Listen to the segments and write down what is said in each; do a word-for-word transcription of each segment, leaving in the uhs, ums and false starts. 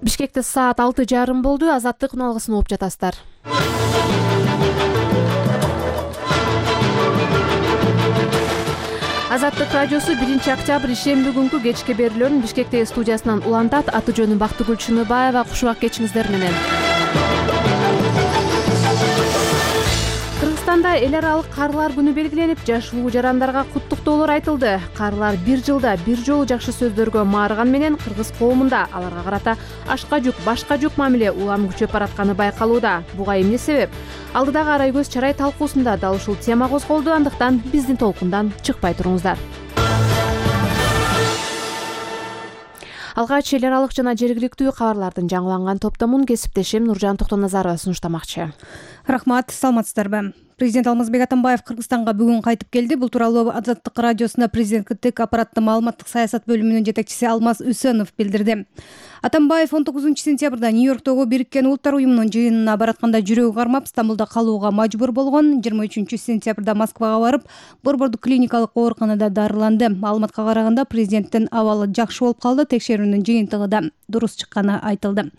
Бишкекте саат алты жарым болду. Азаттык үналгысын угуп жатасыздар. Азаттык радиосу биринчи октябрь ишемби күнкү кечки берүүлөрүн Бишкектеги студиясынан улантат. Аты жөнүм Бактыгүл Чыныбаева. Кушубак кечиңиздер менен. Кыргызстанда эл аралык карлар күнү белгиленип, жашылуу жарандарга куттуктоолор айтылды. Карлар бир жылда бир жолу жакшы сөздөргө маарыган менен кыргыз коомунда аларга карата ашка жүк, башка жүк мамиле улам күчөп баратканы байкалууда. Буга эмне себеп? Алдыдагы арай көз чарай талкуусунда дал ушул тема козголду. Андыктан биздин толкундан чыкпай туруңуздар. Алгач эл аралык жана жергиликтүү кабарлардын жаңыланган топтомун кесиптешим Нуржан Токтоназарова сунуштамакчы. Рахмат, саламатсыздарбы? Президент Алмазбек Атамбаев Кыргызстанга бүгүн кайтып келди. Бул тууралуу Азаттык радиосуна президенттик аппараттын маалыматтык саясат бөлүмүнүн жетекчиси Алмаз Үсөнов билдирди. Атамбаев он тогузунчу сентябрда Нью-Йорктогу Бириккен Улуттар уюмунун жыйынына баратканда жүрөгү кармап, Стамбулда калууга мажбур болгон. жыйырма үчүнчү сентябрда Москвага барып, Борбордук клиникалык ооруканада дарыланды. Маалыматка караганда президенттин абалы жакшы болуп калды. Текшерүүнүн жыйынтыгы да дурус чыкканы айтылды.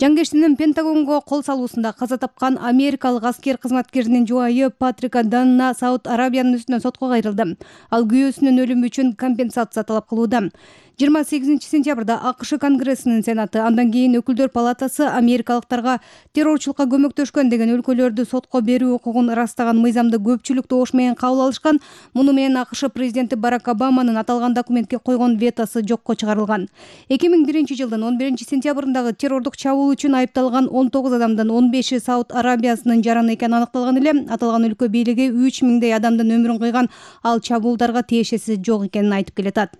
Жангештинин Пентагонго кол салуусунда каза тапкан америкалык аскер кызматкеринин жубайы Патрика Данна Сауд Арабиянын үстүнөн сотко кайрылды. Ал күйөөсүнүн өлүмү үчүн компенсация талап кылууда. жыйырма сегизинчи сентябрда АКШ Конгрессинин Сенаты, андан кийин Өкүлдөр палатасы америкалыктарга террорчулукка көмөктөшкөн деген өлкөлөрдү сотко берүү укугун ырастаган мыйзамды көпчүлүк добуш менен кабыл алышкан. Муну менен АКШ президенти Барак Обаманын аталган документке койгон ветосу жокко чыгарылган. эки миң биринчи жылдын он биринчи сентябрындагы террордук чабуул үчүн айыпталган он тогуз адамдын он беши Сауд Арабиясынын жараны экени аныкталган эле. Аталган өлкө бийлиги үч миңдей адамдын өмүрүн кыйган ал чабуулдарга тиешеси жок экенин айтып келатат.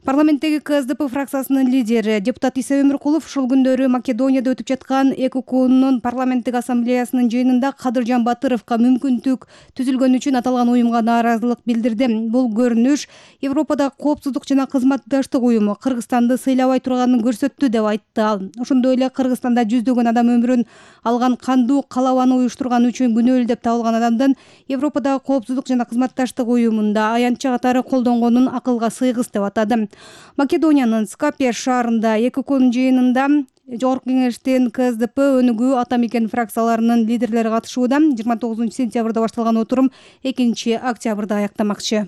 Парламенттеги КСДП фракциясынын лидери депутат Иса Өмүркулов ушул күндөрү Македонияда өтүп жаткан ЭКУКнун парламенттик ассамблеясынын жыйынында Кадыржан Батыровго мүмкүнтүк түзүлгөн үчүн аталган уюмга нааразылык билдирди. Бул көрүнүш Европадагы коопсуздук жана кызматташтык уюму Кыргызстанды сыйлабай турганын көрсөттү деп айтты ал. Ошондой эле Кыргызстанда жүздөгөн адам өмүрүн алган кандуу калабаны уюштурган үчүн күнөөлүү деп табылган адамдын Европадагы коопсуздук жана кызматташтык уюмунда аянтча катары колдонгонун акылга сыйгыс деп атады. Македониянын Скопье шаарында ЭКУКнун жыйынында Жогорку кеңештин КСДП, Өнүгүү, Ата мекен фракцияларынын лидерлери катышууда. жыйырма тогузунчу сентябрда башталган отурум экинчи октябрда аяктамакчы.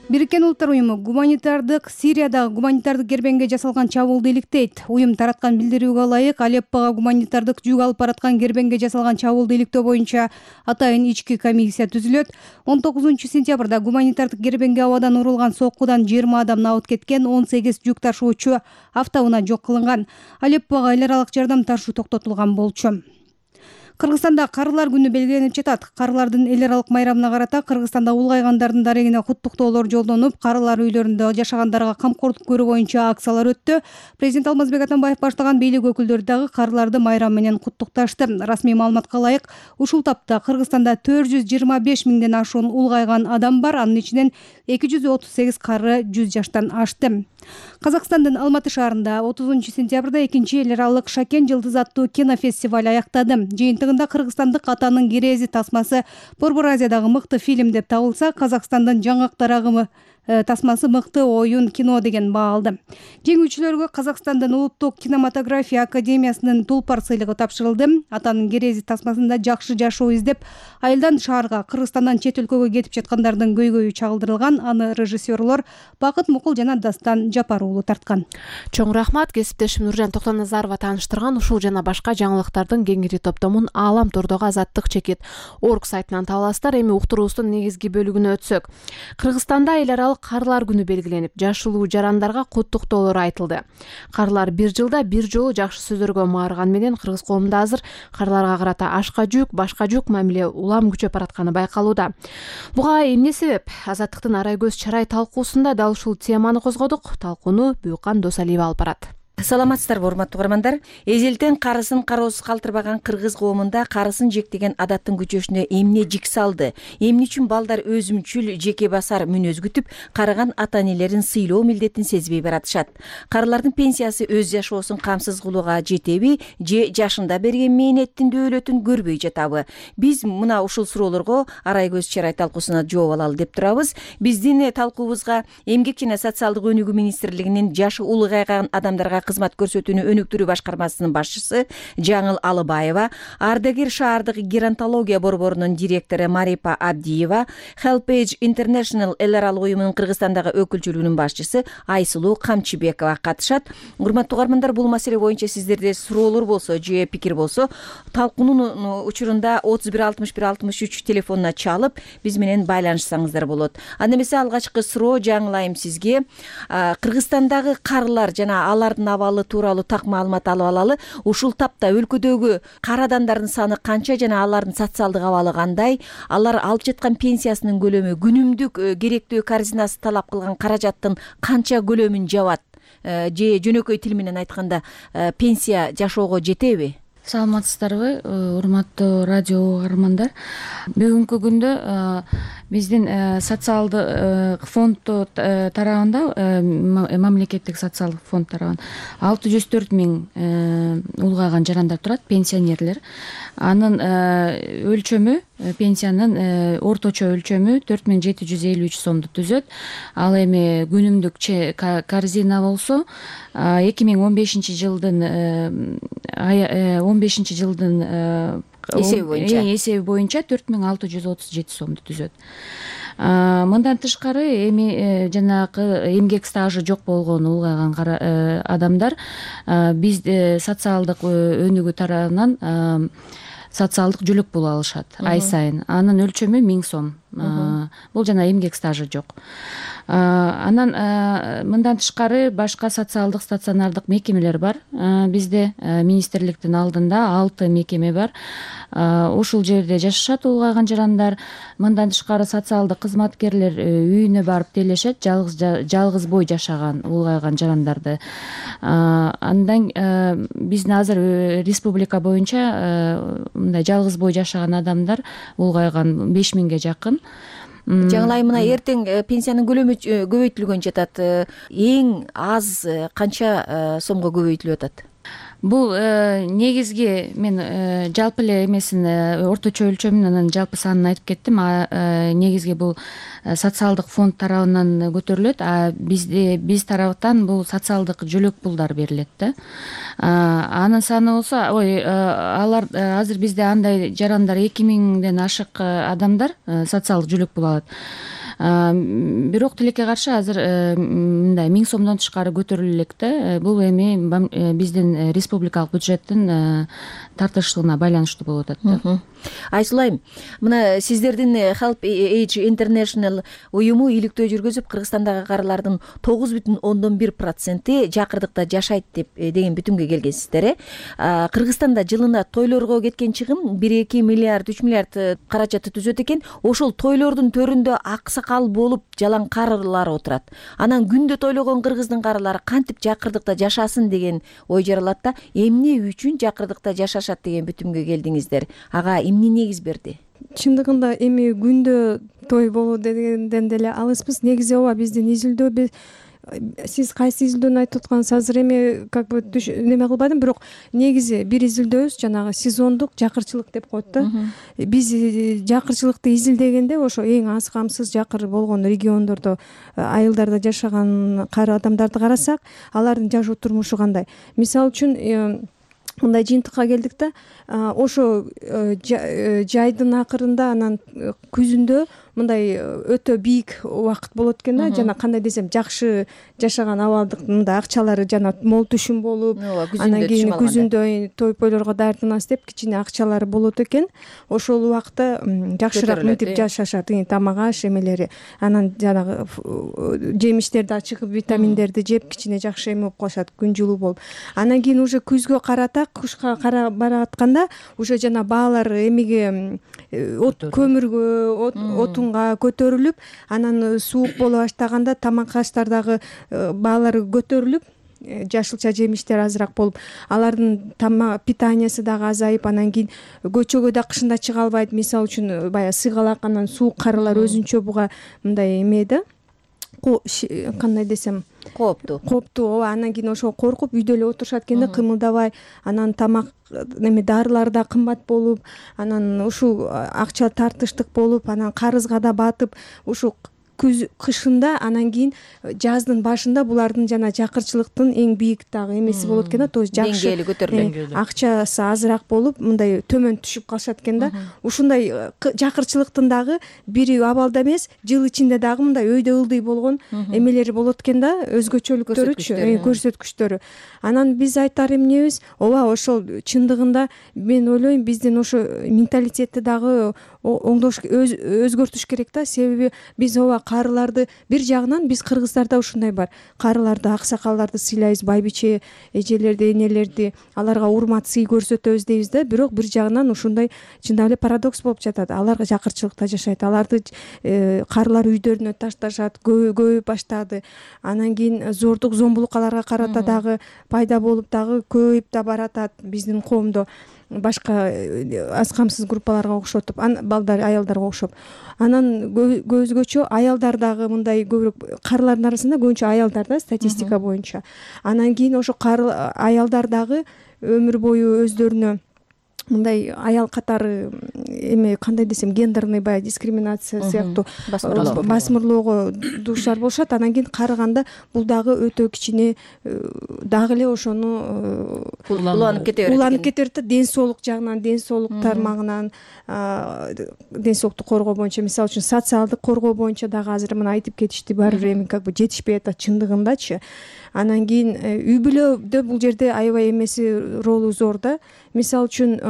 Бириккен Улуттар уюму гуманитардык Сириядагы гуманитардык кербенге жасалган чабуулду иликтейт. Уюм тараткан билдирүүгө ылайык Алеппого гуманитардык жүк алып бараткан кербенге жасалган чабуулду иликтөө боюнча атайын ички комиссия түзүлөт. он тогузунчу сентябрда гуманитардык кербенге абадан урулган соккудан жыйырма адам абыт кеткен, он сегиз жүк ташуучу автоунаа жок кылынган. Алеппого эл аралык жардам ташуу токтотулган болчу. Кыргызстанда Карлар күнү белгиленип жатат. Карлардын эл аралык майрамына карата Кыргызстанда улгайгандардын дарегине куттуктоолор жолдонуп, карлар үйлөрүндө жашагандарга камкордук көрүү боюнча акциялар өттү. Президент Алмазбек Атамбаев баштаган бийлик өкүлдөрү дагы карларды майрам менен куттукташты. Расмий маалыматка ылайык, ушул тапта Кыргызстанда төрт жүз жыйырма беш миңден ашуун улгайган адам бар. Анын ичинен эки жүз отуз сегиз кары жүз жаштан ашты. Казакстандын Алматы шаарында отузунчу сентябрда экинчи эл аралык Шакен жылдыз аттуу кинофестиваль аяктады. Жыйынтыгында кыргызстандык Атанын кирези тасмасы Борбор Азиядагы мыкты фильм деп табылса, Казакстандын Жаңгактар агымы тасмасы мыкты оюн кино деген баа алды. Жеңүүчүлөргө Казакстандын Улуттук кинематография академиясынын Тулпар сыйлыгы тапшырылды. Атанын кирези тасмасында жакшы жашоо издеп, айылдан шаарга, Кыргызстандан чет өлкөгө кетип жаткандардын көйгөйү чагылдырылган. Аны режиссерлор Бакыт Мукул жана Дастан Жапар уулу тарткан. Чоң рахмат. Кесиптешим Нуржан Токтоназарова тааныштырган ушул жана башка жаңылыктардын кеңири топтомун Аалам Тордогу Азаттык чекит орг сайтынан таба аласыздар. Эми уктуруубуздун негизги бөлүгүнө өтсөк. Кыргызстанда эл аралык карлар күнү белгиленип, жашылуу жарандарга куттуктоолор айтылды. Карлар бир жылда бир жолу жакшы сөздөргө маарыган менен кыргыз коомунда азыр карларга карата ашка жүк, башка жүк мамиле улам күчөп баратканы байкалууда. Буга эмне себеп? Азаттыктын арай көз чарай талкуусунда дал ушул теманы козгодук. Талкууну Бүйкан Досалиева алып барат. Саламатсыздарбы, урматтуу угармандар. Эзелтен карысын кароосуз калтырбаган кыргыз коомунда карысын жектеген адаттын күчөшүнө эмне жик салды, эмне үчүн балдар өзүмчүл жеке басар мүнөз күтүп, карыган ата энелерин сыйлоо милдетин сезбей баратышат. Карылардын пенсиясы өз жашоосун камсыз кылууга жетеби же жашында берген мээнеттин дөөлөтүн көрбөй жатабы? Биз мына ушул суроолорго Арай көз чарай талкуусуна жооп алалы деп турабыз. Биздин талкуубузга Эмгек жана социалдык өнүгүү министрлигинин жашы улгайган адамдарга кызмат көрсөтүүнү өнүктүрүү башкармасынын башчысы Жаңыл Алыбаева, Ардагер шаардык геронтология борборунун директору Марипа Абдиева, Helpage International эл аралык уюмунун Кыргызстандагы өкүлчүлүгүнүн башчысы Айсулуу Камчыбекова катышат. Урматтуу угармандар, бул маселе боюнча сиздерде суроолор болсо же пикир болсо, талкуунун учурунда отуз бир алтымыш бир алтымыш үч телефонуна чалып, биз менен байланышсаңыздар болот. Анда эмесе алгачкы суроо жаңылайым сизге. Кыргызстандагы карылар жана алардын абалы тууралуу так маалымат алып алалы. Ушул тапта өлкөдөгү кара адамдардын саны канча жана алардын социалдык абалы кандай? Алар алып жаткан пенсиясынын көлөмү күнүмдүк керектүү корзинасы талап кылган каражаттын канча көлөмүн жабат? Же жөнөкөй тил менен айтканда пенсия жашоого жетеби? Саламатсыздарбы, урматтуу радио угармандар. Бүгүнкү күндө биздин социалдык фонд тарабында, мамлекеттик социалдык фонд тарабынан алты жүз төрт миң улгайган жарандар турат, пенсионерлер. Анын өлчөмү, пенсиянын орточо өлчөмү төрт миң жети жүз элүү үч сомду түзөт. Ал эми күнүмдүк корзина болсо эки миң он бешинчи жылдын он бешинчи жылдын эсеби боюнча эсеби боюнча төрт миң алты жүз отуз жети сомду түзөт. Мындан тышкары эми жанагы эмгек стажы жок болгон улгайган адамдар биз социалдык өнүгүү тарабынан социалдык жүлөк пул алышат ай сайын. Анын өлчөмү миң сом. Бул жана эмгек стажы жок. Анан мындан тышкары башка социалдык стационардык мекемелер бар. Бизде министрликтин алдында алты мекеме бар. Ушул жерде жашашат улгайган жарандар. Мындан тышкары социалдык кызматкерлер үйүнө барып делешет, жалгыз жалгыз бой жашаган улгайган жарандарды. Андан биздин азыр республика боюнча мындай жалгыз бой жашаган адамдар улгайган беш миңге жакын. Жаңылайым, мына эртең пенсиянын көлөмү көбөйтүлгөн жатат. Эң аз канча сомго көбөйтүлүп атат? Бул негизги мен жалпы эле эмесин, орточо өлчөмүн, анан жалпы санын айтып кеттим. Негизги бул социалдык фонд тарабынан көтөрүлөт, а бизде биз тараптан бул социалдык жүлөк пулдар берилет да. Анын саны болсо, ой, алар азыр бизде андай жарандар эки миңден ашык адамдар социалдык жүлөк пул алат. Бирок тилекке каршы азыр мындай миң сомдон тышкары көтөрүлө элек да. Бул эми биздин республикалык бюджеттин тартыштыгына байланыштуу болуп атат да. Айсулайым, мына сиздердин Helpage International уюму иликтөө жүргүзүп, Кыргызстандагы карылардын тогуз бүтүн ондон бир проценти жакырдыкта жашайт деп деген бүтүмгө келгенсиздер. Кыргызстанда жылына тойлорго кеткен чыгым бир эки миллиард үч миллиард каражатты түзөт экен. Ошол тойлордун төрүндө аксакал болуп жалаң карылар отурат. Анан күндө тойлогон кыргыздын карылары кантип жакырдыкта жашасын деген ой жаралат да. Эмне үчүн жакырдыкта жашашат деген бүтүмгө келдиңиздер? Ага эмне негиз берди? Чындыгында эми күндө той болуу дегенден деле алыспыз. Негизи ооба биздин изилдөө, сиз кайсы изилдөөнү айтып аткансыз азыр эми как бы неме кылбадым, бирок негизи бир изилдөөбүз жанагы сезондук жакырчылык деп коет да. Биз жакырчылыкты изилдегенде ошо эң аз камсыз жакыр болгон региондордо, айылдарда жашаган кары адамдарды карасак, алардын жашоо турмушу кандай? Мисалы үчүн мындай жыйынтыкка келдик да, ошо жайдын акырында, анан күзүндө мындай өтө бийик убакыт болот экен да, жана кандай десем, жакшы жашаган абалдык мындай акчалары жана мол түшүм болуп, анан кийин күзүндө той пойлорго даярданабыз деп кичине акчалары болот экен. Ошол убакта жакшыраак мынтип жашашат, тамак аш эмелери, анан жанагы жемиштерди, ачык витаминдерди жеп кичине жакшы эме болуп калышат, күн жылуу болуп. Анан кийин уже күзгө карата, кышка кара баратканда уже жана баалар эмеге, көмүргө, отунга көтөрүлүп, анан суук боло баштаганда тамак аштардагы баалары көтөрүлүп, жашылча жемиштер азыраак болуп, алардын тамак питаниясы дагы азайып, анан кийин көчөгө да кышында чыга албайт. Мисалы үчүн баягы сыгалак, анан суук карылар өзүнчө буга мындай эме да, кандай десем, кооптуу кооптуу ооба. Анан кийин ошого коркуп үйдө эле отурушат экен да, кымылдабай. Анан тамак эме дарылар да кымбат болуп, анан ушул акча тартыштык болуп, анан карызга да батып, ушу күз кышында, анан кийин жаздын башында булардын жана жакырчылыктын эң бийик дагы эмеси болот экен да, то есть жакшы деңгээли көтөрүлөт, акчасы азыраак болуп, мындай төмөн түшүп калышат экен да. Ушундай жакырчылыктын дагы бири абалда эмес, жыл ичинде дагы мындай өйдө ылдый болгон эмелери болот экен да, өзгөчөлүктөрүчү, көрсөткүчтөрү. Анан биз айтар эмнебиз, ооба ошол чындыгында мен ойлойм биздин ошо менталитетти дагы оңдош, өзгөртүш керек да. Себеби биз ооба карыларды, бир жагынан биз кыргыздарда ушундай бар, карыларды, аксакалдарды сыйлайбыз, байбиче эжелерди, энелерди, аларга урмат, сый көрсөтөбүз дейбиз да. Бирок бир жагынан ушундай чындап эле парадокс болуп жатат. Аларга жакырчылыкта жашайт, аларды карылар үйдөрүнө ташташат, көбөйүп баштады. Анан кийин зордук, зомбулук аларга карата дагы пайда болуп, дагы көбөйүп да баратат биздин коомдо, башка аз камсыз группаларга окшотуп, балдар, аялдарга окшоп. Анан өзгөчө аялдар дагы мындай көбүрөөк, карылардын арасында көбүнчө аялдар да, статистика боюнча. Анан кийин ошо аялдар дагы өмүр бою өздөрүнө мындай аял катары эме, кандай десем, гендерный баягы дискриминация сыяктуу басмырлоого дуушар болушат. Анан кийин карыганда бул дагы өтө кичине дагы эле ошону уланып кете берет, уланып кете берет да, ден соолук жагынан, ден соолук тармагынан, ден соолукту коргоо боюнча, мисалы үчүн социалдык коргоо боюнча дагы азыр мына айтып кетишти, баары бир эми как бы жетишпей атат чындыгындачы. Анан кийин үй бүлөдө бул жерде аябай эмеси, ролу зор да. Мисалы үчүн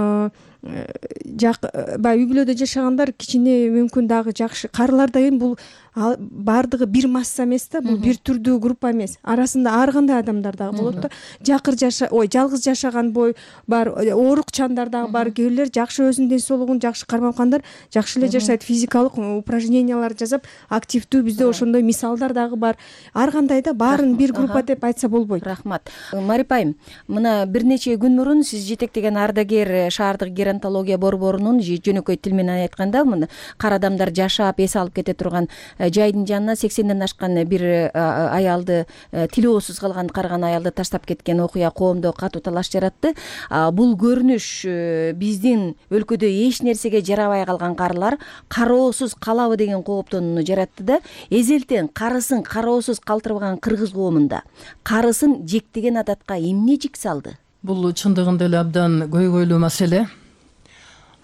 баягы үй бүлөдө жашагандар кичине мүмкүн дагы жакшы, карылар да эми бул баардыгы бир масса эмес да, бул бир түрдүү группа эмес. Арасында ар кандай адамдар дагы болот да. Жакыр жаша, ой, жалгыз жашаган бой бар, оорукчандар дагы бар, кээ бирлер жакшы өзүнүн ден соолугун жакшы кармап аткандар жакшы эле жашайт, физикалык упражнениялар жасап активдүү, бизде ошондой мисалдар дагы бар. Ар кандай да, баарын бир группа деп айтса болбойт. Рахмат. Марипа айым, мына бир нече күн мурун сиз жетектеген ардагер шаардык геронтология борборунун жөнөкөй тил менен айтканда, мына кара адамдар жашап эс алып кете турган жайдын жанына сексенден ашкан бир аялды, тилоосуз калган карыган аялды таштап кеткен окуя коомдо катуу талаш жаратты. Бул көрүнүш биздин өлкөдө эч нерсеге жарабай калган карылар кароосуз калабы деген кооптонууну жаратты да. Эзелтен карысын кароосуз калтырбаган кыргыз коомунда карысын жектеген адатка эмне жик салды? Бул чындыгында эле абдан көйгөйлүү маселе.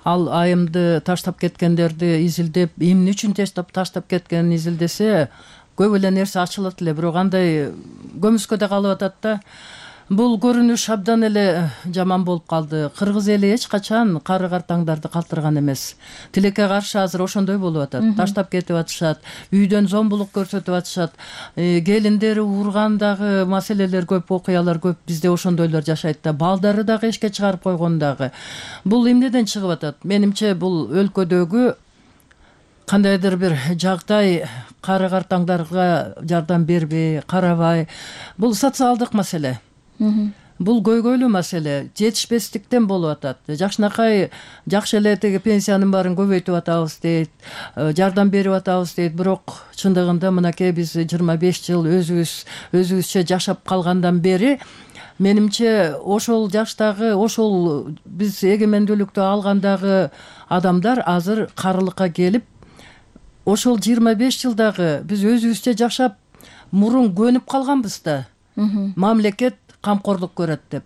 Ал айымды таштап кеткендерди изилдеп, эмне үчүн таштап таштап кеткенин изилдесе, көп эле нерсе ачылат эле, бирок андай көмүскөдө калып атат да. Бул көрүнүш абдан эле жаман болуп калды. Кыргыз эли эч качан кары картаңдарды калтырган эмес. Тилекке каршы азыр ошондой болуп атат. Таштап кетип атышат, үйдөн зомбулук көрсөтүп атышат, келиндери ургандагы маселелер көп, окуялар көп. Бизде ошондойлор жашайт да, балдары дагы эшикке чыгарып койгон дагы. Бул эмнеден чыгып атат? Менимче бул өлкөдөгү кандайдыр бир жагдай кары картаңдарга жардам бербей, карабай, бул социалдык маселе. Бул көйгөйлүү маселе, жетишпестиктен болуп атат. Жакшынакай жакшы эле теги пенсиянын баарын көбөйтүп атабыз дейт, жардам берип атабыз дейт, бирок чындыгында мынакей биз жыйырма беш жыл өзүбүз өзүбүзчө жашап калгандан бери менимче ошол жаштагы, ошол биз эгемендүүлүктү алгандагы адамдар азыр карылыкка келип, ошол жыйырма беш жылдагы биз өзүбүзчө жашап мурун көнүп калганбыз да. Мамлекет камкорлук көрөт деп.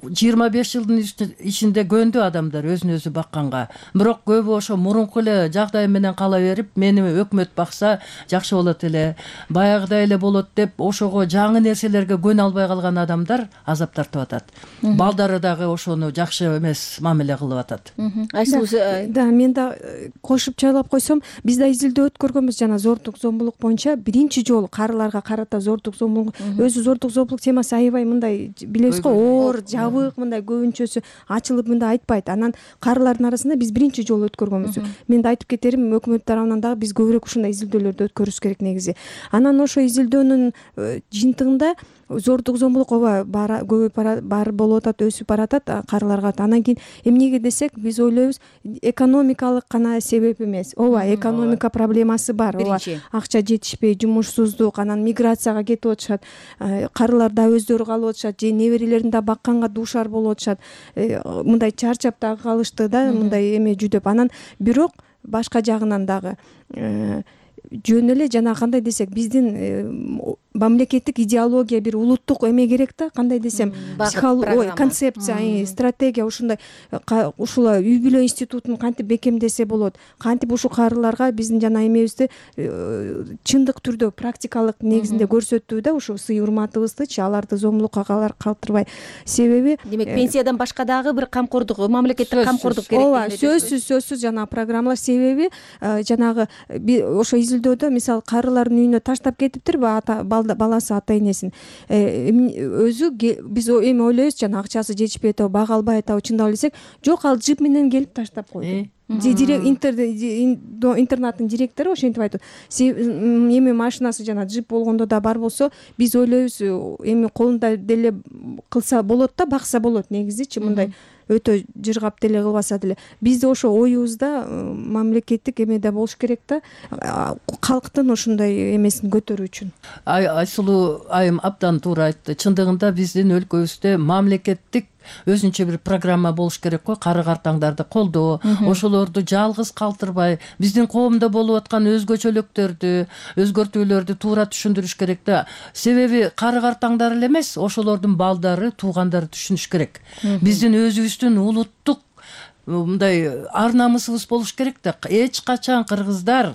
жыйырма беш жылдын ичинде көндү адамдар өзүн өзү бакканга. Бирок көбү ошо мурунку эле жагдай менен кала берип, мени өкмөт бакса жакшы болот эле, баягыдай эле болот деп ошого жаңы нерселерге көнө албай калган адамдар азап тартып атат. Балдары дагы ошону жакшы эмес мамиле кылып атат. Да, мен да кошуп чайлап койсом, биз да изилдөө өткөргөнбүз жана зордук зомбулук боюнча биринчи жолу карыларга карата зордук зомбулук, өзү зордук зомбулук темасы аябай мындай билебиз го, оор, жабык мындай көбүнчөсү ачылып мындай айтпайт. Анан карылардын арасында биз биринчи жолу өткөргөнбүз. Мен да айтып кетерим, өкмөт тарабынан дагы биз көбүрөөк ушундай изилдөөлөрдү өткөрүш керек негизи. Анан ошо изилдөөнүн жыйынтыгында зордук зомбулук ооба көбөйүп бар болуп атат, өсүп баратат карыларга. Анан кийин эмнеге десек, биз ойлойбуз экономикалык гана себеп эмес. Ооба, экономика проблемасы бар. Ооба, акча жетишпей, жумушсуздук, анан миграцияга кетип атышат. Карылар да өздөрү калып атышат, же неберелерин да бакканга дуушар болуп атышат. Мындай чарчап дагы калышты да, мындай эме жүдөп. Анан бирок башка жагынан дагы жөн эле жана кандай десек, биздин мамлекеттик идеология, бир улуттук эме керек да, кандай десем, психология, концепция, стратегия ушундай. Ушул үй бүлө институтун кантип бекемдесе болот, кантип ушул карыларга биздин жана эмебизди чындык түрдө практикалык негизинде көрсөтүү да, ушу сый урматыбыздычы, аларды зомбулукка калтырбай. Себеби демек пенсиядан башка дагы бир камкордук, мамлекеттик камкордук керек. Ооба, сөзсүз сөзсүз жана программалар. Себеби жанагы ошо изилдөөдө мисалы карылардын үйүнө таштап кетиптирби баласы ата энесин, өзү биз эми ойлойбуз, жана акчасы жетишпей атабы, бага албай атабы, чындап десек, жок, ал джип менен келип таштап койду. Интернаттын директору ошентип айтат. Эми машинасы жана джип болгондо да бар болсо, биз ойлойбуз, эми колунда деле кылса болот да, бакса болот негизичи, мындай өтө жыргап деле кылбаса деле. Бизде ошо оюбузда мамлекеттик эмеде болуш керек да, калктын ошондой эмесин көтөрүү үчүн. Айсулуу айым абдан туура айтты. Чындыгында биздин өлкөбүздө мамлекеттик өзүнчө бир программа болуш керек го, кары картаңдарды колдоо, ошолорду жалгыз калтырбай, биздин коомдо болуп аткан өзгөчөлүктөрдү, өзгөртүүлөрдү туура түшүндүрүш керек да. Себеби кары картаңдар эле эмес, ошолордун балдары, туугандары түшүнүш керек. Биздин өзүбүздүн улуттук мындай ар намысыбыз болуш керек да. Эч качан кыргыздар,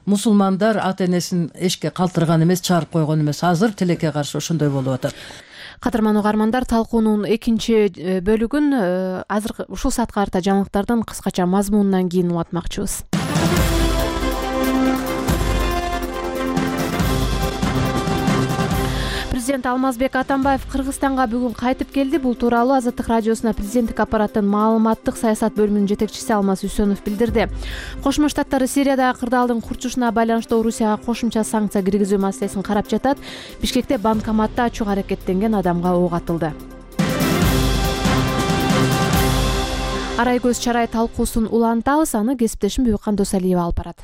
мусулмандар ата энесин эшикке калтырган эмес, чыгарып койгон эмес. Азыр тилекке каршы ошондой болуп атат. Кадырман угармандар, талкуунун экинчи бөлүгүн азыр ушул саатка карата жаңылыктардын кыскача мазмунунан кийин улантмакчыбыз. Президент Алмазбек Атамбаев Кыргызстанга бүгүн кайтып келди. Бул тууралуу Азаттык радиосуна президенттик аппараттын маалыматтык саясат бөлүмүнүн жетекчиси Алмаз Үсөнов билдирди. Кошмо Штаттар Сириядагы кырдаалдын курчушуна байланыштуу Орусияга кошумча санкция киргизүү маселесин карап жатат. Бишкекте банкоматта ачууга аракеттенген адамга ок атылды. Арай көз чарай талкуусун улантабыз, аны кесиптешим Бүйкан Досалиева алып барат.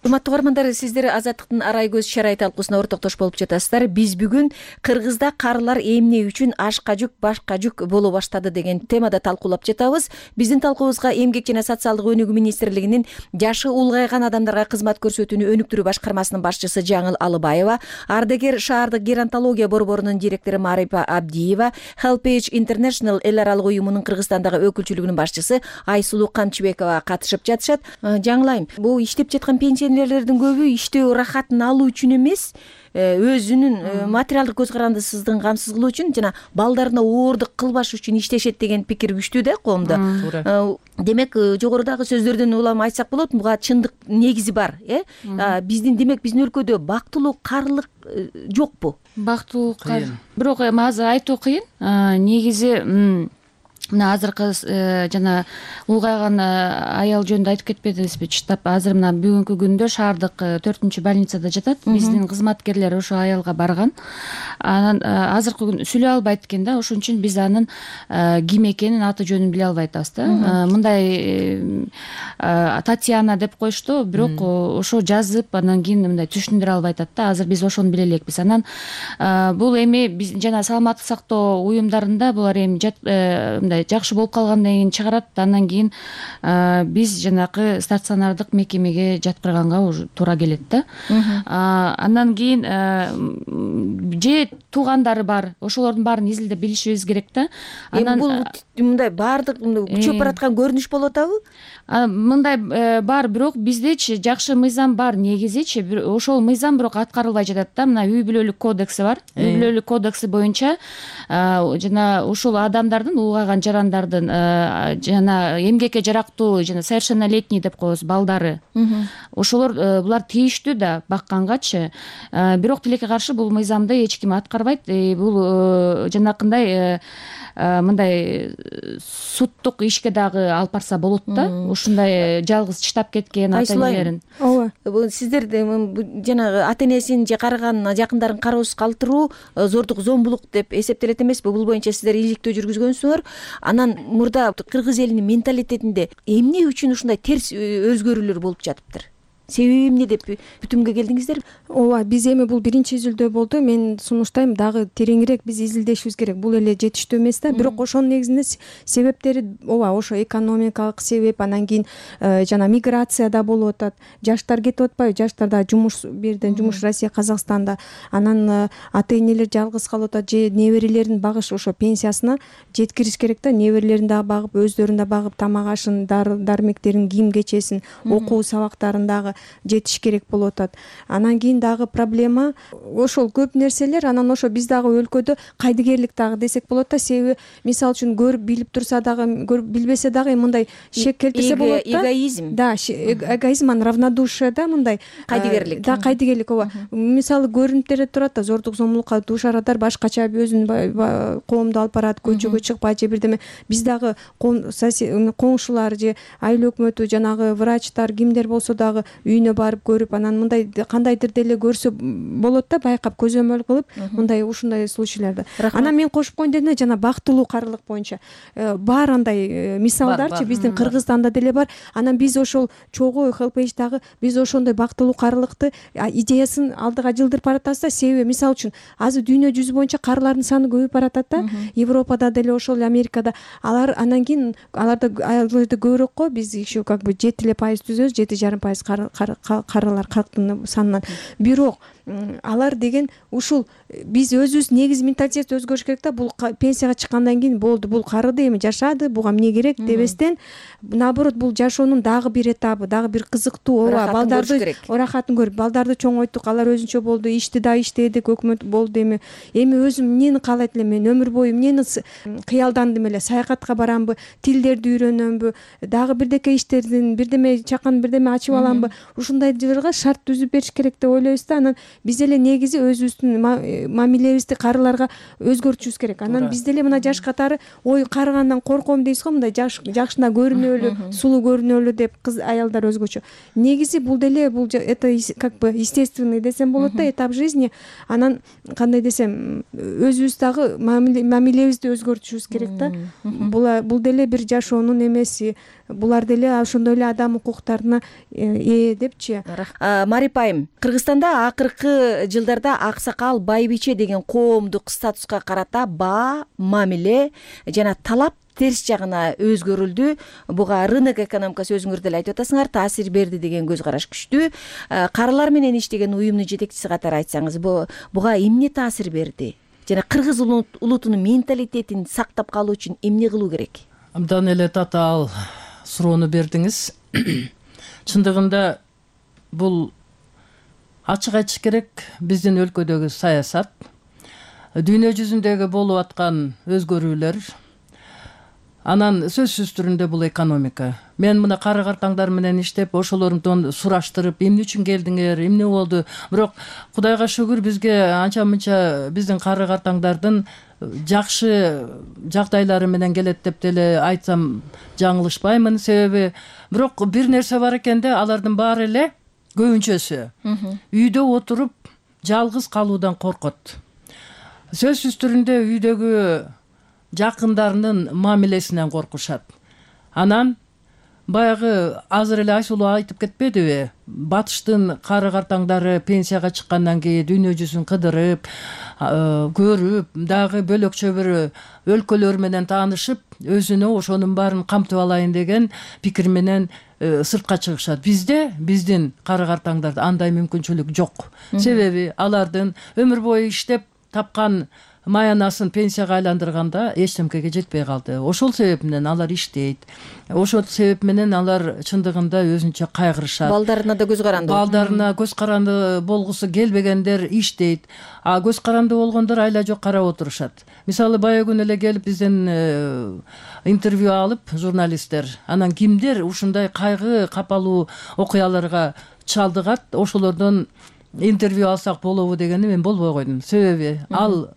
Урматтуу угармандар, сиздер Азаттыктын Арай көз чарай талкуусуна ортоктош болуп жатасыздар. Биз бүгүн Кыргызда карылар эмне үчүн ашка жүк, башка жүк боло баштады деген темада талкуулап жатабыз. Биздин талкуубузга Эмгек жана социалдык өнүгүү министрлигинин жашы улгайган адамдарга кызмат көрсөтүүнү өнүктүрүү башкармасынын башчысы Жаңыл Алыбаева, Ардагер шаардык геронтология борборунун директору Марипа Абдиева, Helpage International эл аралык уюмунун Кыргызстандагы өкүлчүлүгүнүн башчысы Айсулуу Камчыбекова катышып жатышат. Жаңыл айым, бул иштеп жаткан пенсионерлердин көбү иштөө рахатын алуу үчүн эмес, өзүнүн материалдык көз карандысыздыгын камсыз кылуу үчүн жана балдарына оордук кылбаш үчүн иштешет деген пикир күчтүү да коомдо. Демек, жогорудагы сөздөрдөн улам айтсак болот, буга чындык негизи бар, э? Биздин демек биздин өлкөдө бактылуу карылык жокпу? Бактылуу кар, бирок азыр айтуу кыйын. Негизи мына азыркы жана улгайган аял жөнүндө айтып кетпедиңизби? Чыштап, азыр мына бүгүнкү күндө шаардык төртүнчү больницада жатат. Биздин кызматкерлер ошо аялга барган. Анан азыркы күн сүйлөй албайт экен да, ошон үчүн биз анын ким экенин, аты жөнүн биле албай атабыз да. Мындай Татьяна деп коюшту, бирок ошо жазып, анан кийин мындай түшүндүрө албай атат да. Азыр биз ошону биле элекпиз. Анан бул эми биз жана саламаттык сактоо уюмдарында булар эми мындай жакшы болуп калгандан кийин чыгарат, андан кийин биз жанакы стационардык мекемеге жаткырганга уже туура келет да. Андан кийин же туугандары бар, ошолордун баарын изилдеп билишибиз керек да. Анан бул мындай баардык күчөп бараткан көрүнүш болуп атабы? Мындай бар, бирок биздечи жакшы мыйзам бар негизичи, ошол мыйзам бирок аткарылбай жатат да. Мына үй бүлөлүк кодекси бар. Үй бүлөлүк кодекси боюнча жана ушул адамдардын улгайган жарандардын жана эмгекке жарактуу жана совершеннолетний деп коебуз балдары, ошолор булар тийиштүү да баккангачы, бирок тилекке каршы бул мыйзамды эч ким аткарбайт. Бул жанакындай мындай суттук ишке дагы алып барса болот да, ушундай жалгыз чыдап кеткен ата энелерин. ооба, Бул сиздер жанагы ата энесин же карыган жакындарын кароосуз калтыруу зордук, зомбулук деп эсептелет эмеспи? Бул боюнча сиздер иликтөө жүргүзгөнсүңөр. Анан мурда кыргыз элинин менталитетинде эмне үчүн ушундай терс өзгөрүүлөр болуп жатыптыр? Себеби эмне деп бүтүмгө келдиңиздер? ооба, биз эми бул биринчи изилдөө болду. Мен сунуштайм, дагы тереңирээк биз изилдешибиз керек. Бул эле жетиштүү эмес да. Бирок ошонун негизинде себептери ооба, ошо экономикалык себеп, анан кийин жана миграция да болуп атат. Жаштар кетип атпайбы? Жаштар да жумуш, бирден жумуш Россия, Казакстанда. Анан ата энелер жалгыз калып атат, же неберелерин багыш, ошо пенсиясына жеткириш керек да. Неберелерин дагы багып, өздөрүн да багып, тамак ашын, дармектерин, кийим кечесин, окуу сабактарын дагы жетиш керек болуп атат. Анан кийин дагы проблема ошол көп нерселер. Анан ошо биз дагы өлкөдө кайдыгерлик дагы десек болот да. Себеби мисалы үчүн көрүп билип турса дагы, көрүп билбесе дагы мындай шек келтирсе болот да. Эгоизм. Да, эгоизм, анан равнодушие да, мындай Кайдыгерлик. Да, кайдыгерлик, ооба. Мисалы көрүнүптөр турат да, зордук, зомбулукка дуушар адар, башкача өзүнүн коомду алып барат, көчөгө чыкпайт же бирдеме. Биз дагы коңшулар же айыл өкмөтү, жанагы врачтар, кимдер болсо дагы үйүнө барып көрүп, анан мындай кандайдыр деле көрсө болот да, байкап, көзөмөл кылып, мындай ушундай случайларды. Анан мен кошуп коеюн дедим, жана бактылуу карылык боюнча бар андай мисалдарчы биздин Кыргызстанда деле бар. Анан биз ошол чогуу хелпейч дагы биз ошондой бактылуу карылыкты идеясын алдыга жылдырып баратабыз да. Себеби мисалы үчүн азыр дүйнө жүзү боюнча карылардын саны көбөйүп баратат да. Европада деле ошол, Америкада. Алар анан кийин аларда аялдарды көбүрөөк го, биз еще как бы жети эле пайыз түзөбүз, жети жарым пайыз карылар калктын санынан. Бирок алар деген ушул биз өзүбүз негизи менталитет өзгөрүш керек да. Бул пенсияга чыккандан кийин болду, бул карыды, эми жашады, буга эмне керек дебестен, наоборот, бул жашоонун дагы бир этабы, дагы бир кызыктуу, ооба, балдарды орахатын көрүп, балдарды чоңойттук, алар өзүнчө болду, ишти да иштедик, өкмөт болду, эми эми өзүм эмнени каалайт элем, мен өмүр бою эмнени кыялдандым эле, саякатка барамбы, тилдерди үйрөнөмбү, дагы бирдеке иштердин, бирдеме чакан, бирдеме ачып аламбы, ушундай жылга шарт түзүп бериш керек деп ойлойбуз да. Анан биз эле негизи өзүбүздүн мамилебизди карыларга өзгөртүшүбүз керек. Анан биз деле мына жаш катары, ой, карыгандан корком дейсиз го, мындай жакшына көрүнөлү, сулуу көрүнөлү деп кыз аялдар өзгөчө. Негизи бул деле, бул это как бы естественный десем болот да, этап жизни. Анан кандай десем, өзүбүз дагы мамилебизди өзгөртүшүбүз керек да. Бул деле бир жашоонун эмеси, булар деле ошондой эле адам укуктарына ээ депчи. Марип айым, Кыргызстанда акыркы жылдарда аксакал, байбиче деген коомдук статуска карата баа, мамиле жана талап терс жагына өзгөрүлдү. Буга рынок экономикасы, өзүңөр деле айтып атасыңар, таасир берди деген көз караш күчтүү. Карылар менен иштеген уюмдун жетекчиси катары айтсаңыз, буга эмне таасир берди? Жана кыргыз улутунун менталитетин сактап калуу үчүн эмне кылуу керек? Абдан эле татаал суроону бердиңиз. Чындыгында бул ачык айтыш керек, биздин өлкөдөгү саясат, дүйнө жүзүндөгү болуп аткан өзгөрүүлөр, анан сөзсүз түрүндө бул экономика. Мен мына кары картаңдар менен иштеп, ошолордон сураштырып, эмне үчүн келдиңер, эмне болду? Бирок Кудайга шүгүр, бизге анча мынча биздин кары картаңдардын жакшы жагдайлары менен келет деп деле айтсам жаңылышпаймын. Себеби бирок бир нерсе бар экен да, алардын баары эле көбүнчөсү үйдө отуруп жалгыз калуудан коркот. Сөзсүз түрүндө үйдөгү жакындарынын мамилесинен коркушат. Анан баягы азыр эле Айсулуу айтып кетпедиби? Батыштын кары картаңдары пенсияга чыккандан кийин дүйнө жүзүн кыдырып, көрүп, дагы бөлөкчө бир өлкөлөр менен таанышып, өзүнө ошонун баарын камтып алайын деген пикир менен сыртка чыгышат. Бизде, биздин кары картаңдарда андай мүмкүнчүлүк жок. Себеби алардын өмүр бою иштеп тапкан маянасын пенсияга айландырганда эчтемкеге жетпей калды. Ошол себеп менен алар иштейт. Ошол себеп менен алар чындыгында өзүнчө кайгырышат. Балдарына да көз каранды. Балдарына көз каранды болгусу келбегендер иштейт. А көз каранды болгондор айла жок карап отурушат. Мисалы баягы күнү эле келип бизден интервью алып журналисттер, анан кимдер ушундай кайгы капалуу окуяларга чалдыгат, ошолордон интервью алсак болобу дегенди мен болбой койдум. Себеби ал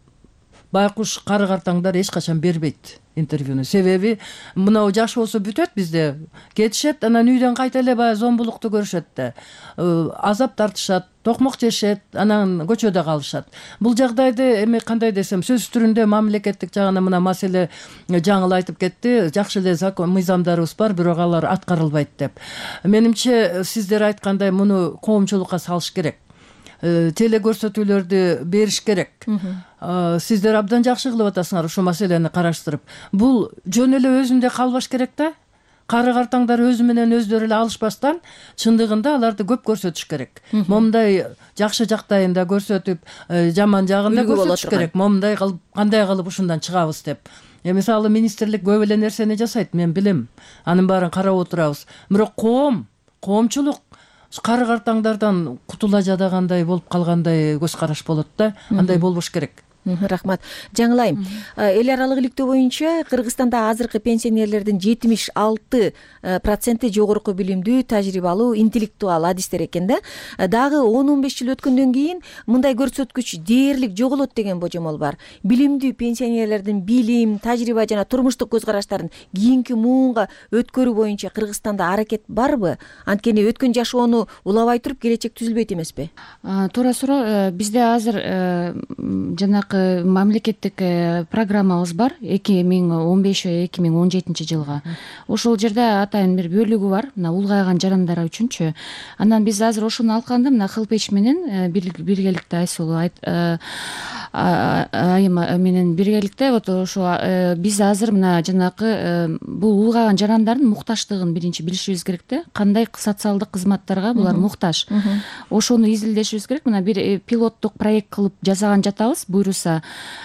байкуш кары картаңдар эч качан бербейт интервьюну. Себеби мынау жашоосу бүтөт бизде. Кетишет, анан үйдөн кайта эле баягы зомбулукту көрүшөт да. Азап тартышат, токмок жешет, анан көчөдө калышат. Бул жагдайды эми кандай десем, сөз түрүндө мамлекеттик жагынан мына маселе жаңыл айтып кетти. Жакшы эле закон мыйзамдарыбыз бар, бирок алар аткарылбайт деп. Менимче сиздер айткандай муну коомчулукка салыш керек. Теле көрсөтүүлөрдү бериш керек. Сиздер абдан жакшы кылып атасыңар ушул маселени караштырып. Бул жөн эле өзүндө калбаш керек да. Кары картаңдар өзү менен өздөрү эле алышпастан, чындыгында аларды көп көрсөтүш керек. Момундай жакшы жактайын да көрсөтүп, жаман жагын да көрсөтүш керек. Момундай кылып, кандай кылып ушундан чыгабыз деп. Мисалы министрлик көп эле нерсени жасайт, мен билем. Анын баарын карап отурабыз. Бирок коом, коомчулук кары картаңдардан кутула жадагандай болуп калгандай көз караш болот да. Андай болбош керек. Рахмат. Жаңыл айым, эл аралык иликтөө боюнча Кыргызстанда азыркы пенсионерлердин жетимиш алты проценти жогорку билимдүү, тажрыйбалуу, интеллектуал адистер экен да. Дагы он он беш жыл өткөндөн кийин мындай көрсөткүч дээрлик жоголот деген божомол бар. Билимдүү пенсионерлердин билим, тажрыйба жана турмуштук көз караштарын кийинки муунга өткөрүү боюнча Кыргызстанда аракет барбы? Анткени өткөн жашоону улабай туруп келечек түзүлбөйт эмеспи? Туура суроо. Бизде азыр жана мамлекеттик программабыз бар эки миң он беш эки миң он жетинчи жылга. Ошол жерде атайын бир бөлүгү бар, мына улгайган жарандар үчүнчү. Анан биз азыр ошону алганда мына Хылпеч менен биргеликте Айсулуу айым менен биргеликте вот ошо биз азыр мына жанакы бул улгайган жарандардын мукташтыгын биринчи билишибиз керек да. Кандай социалдык кызматтарга булар муктаж. Ошону изилдешибиз керек. Мына бир пилоттук проект кылып жасаган жатабыз. Буйруса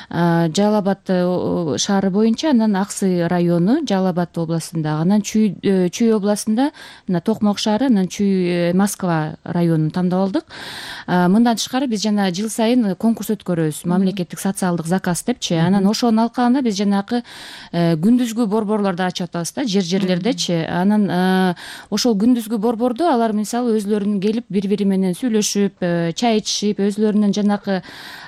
Жалал Абад шаары боюнча, анан Аксы району Жалал Абад областында, анан Чүй Чүй областында мына Токмок шаары, анан Чүй Москва районун тандап алдык. Мындан тышкары биз жана жыл сайын конкурс өткөрөбүз, мамлекеттик социалдык заказ депчи. Анан ошону алканда биз жанакы күндүзгү борборлорду ачып атабыз да, жер-жерлердечи. Анан ошол күндүзгү борбордо алар мисалы өзлөрүнүн келип бири-бири менен сүйлөшүп, чай ичишип, өзлөрүнүн жанакы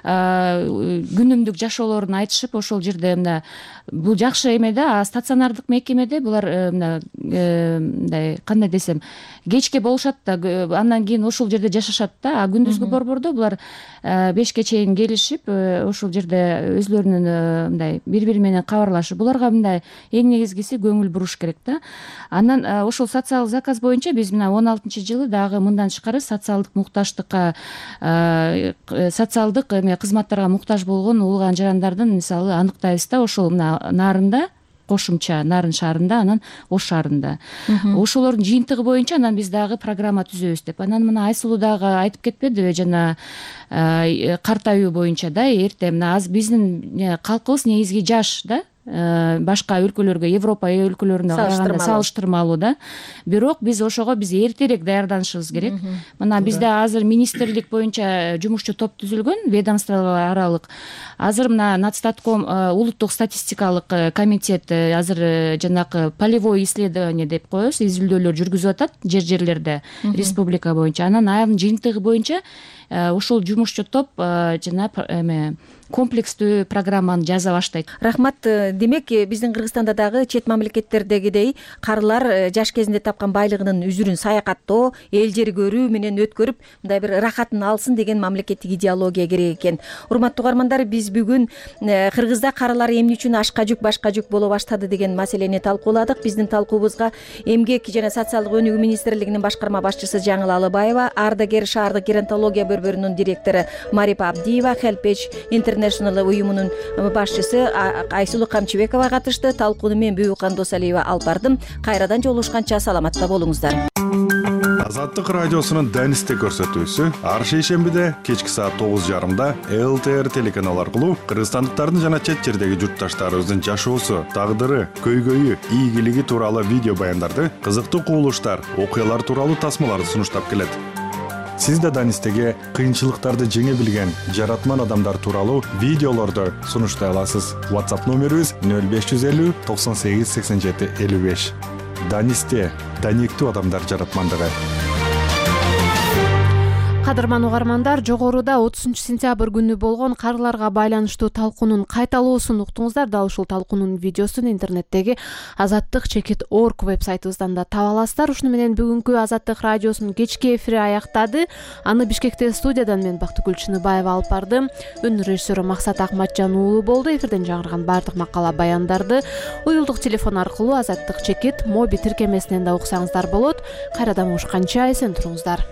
күнүмдүк жашоолорун айтышып, ошол жерде мына бул жакшы эме да. Стационардык мекемеде булар мына мындай кандай десем, кечке болушат да, андан кийин ошол жерде жашашат да. А күндүзгү борбордо булар бешке чейин келишип, ошол жерде өзлөрүнүн мындай бири-бири менен кабарлашып, буларга мындай эң негизгиси көңүл буруш керек да. Анан ошол социалдык заказ боюнча биз мына он алтынчы жылы дагы мындан тышкары социалдык мукташтыкка, социалдык кызматтарга муктаж болгон улгайган жарандардын мисалы аныктайбыз да. Ошол мына Нарында, кошумча Нарын шаарында, анан Ош шаарында. Ошолордун жыйынтыгы боюнча анан биз дагы программа түзөбүз деп. Анан мына Айсулуу дагы айтып кетпедиби, жана картаюу боюнча да, эрте мына аз биздин калкыбыз негизги жаш да. Башка өлкөлөргө, Европа өлкөлөрүнө караганда салыштырмалуу да. Бирок биз ошого биз эртерээк даярданышыбыз керек. Мына бизде азыр министрлик боюнча жумушчу топ түзүлгөн, ведомство аралык. Азыр мына Нацстатком, улуттук статистикалык комитет азыр жанакы полевой исследование деп коебуз, изилдөөлөр жүргүзүп атат жер-жерлерде республика боюнча. Анан анын жыйынтыгы боюнча ошол жумушчу топ жана эме комплекстүү программаны жаза баштайт. Рахмат. Демек, биздин Кыргызстанда дагы чет мамлекеттердегидей карылар жаш кезинде тапкан байлыгынын үзүрүн саякаттоо, эл жери көрүү менен өткөрүп, мындай бир рахатын алсын деген мамлекеттик идеология керек экен. Урматтуу угармандар, биз бүгүн Кыргызда карылар эмне үчүн ашка жүк, башка жүк боло баштады деген маселени талкууладык. Биздин талкуубузга Эмгек жана социалдык өнүгүү министрлигинин башкарма башчысы Жаңыл Алыбаева, Ардагер шаардык геронтология борборунун директору Марипа Абдиева, Хелпеч International уюмунун башчысы Айсулуу Камчыбекова катышты. Талкууну мен Бүбүкан Досалиева алып бардым. Кайрадан жолугушканча саламатта болуңуздар. Азаттык радиосунун Данисте көрсөтүүсү ар шейшембиде кечки саат тогуз жарымда эл тэ эр телеканалы аркылуу кыргызстандыктардын жана чет жердеги журтташтарыбыздын жашоосу, тагдыры, көйгөйү, ийгилиги тууралуу видео баяндарды, кызыктуу кубулуштар, окуялар тууралуу тасмаларды сунуштап келет. Сиз да Данистеге кыйынчылыктарды жеңе билген жаратман адамдар тууралуу видеолорду сунуштай аласыз. WhatsApp номерибиз нөл беш жүз элүү токсон сегиз сексен жети элүү беш. Данисте даниктүү адамдар жаратмандыгы. Кадырман угармандар, жогоруда отузунчу сентябрь күнү болгон карларга байланыштуу талкуунун кайталоосун уктуңуздар. Дал ушул талкуунун видеосун интернеттеги азаттык чекит орг вебсайтыбыздан да таба аласыздар. Ушуну менен бүгүнкү Азаттык радиосунун кечки эфири аяктады. Аны Бишкекте студиядан мен Бактыгүл Чыныбаева алып бардым. Үн режиссеру Максат Акматжан уулу болду. Эфирден жаңырган баардык макала баяндарды уюлдук телефон аркылуу Азаттык чекит моби тиркемесинен да уксаңыздар болот. Кайрадан угушканча эсен туруңуздар.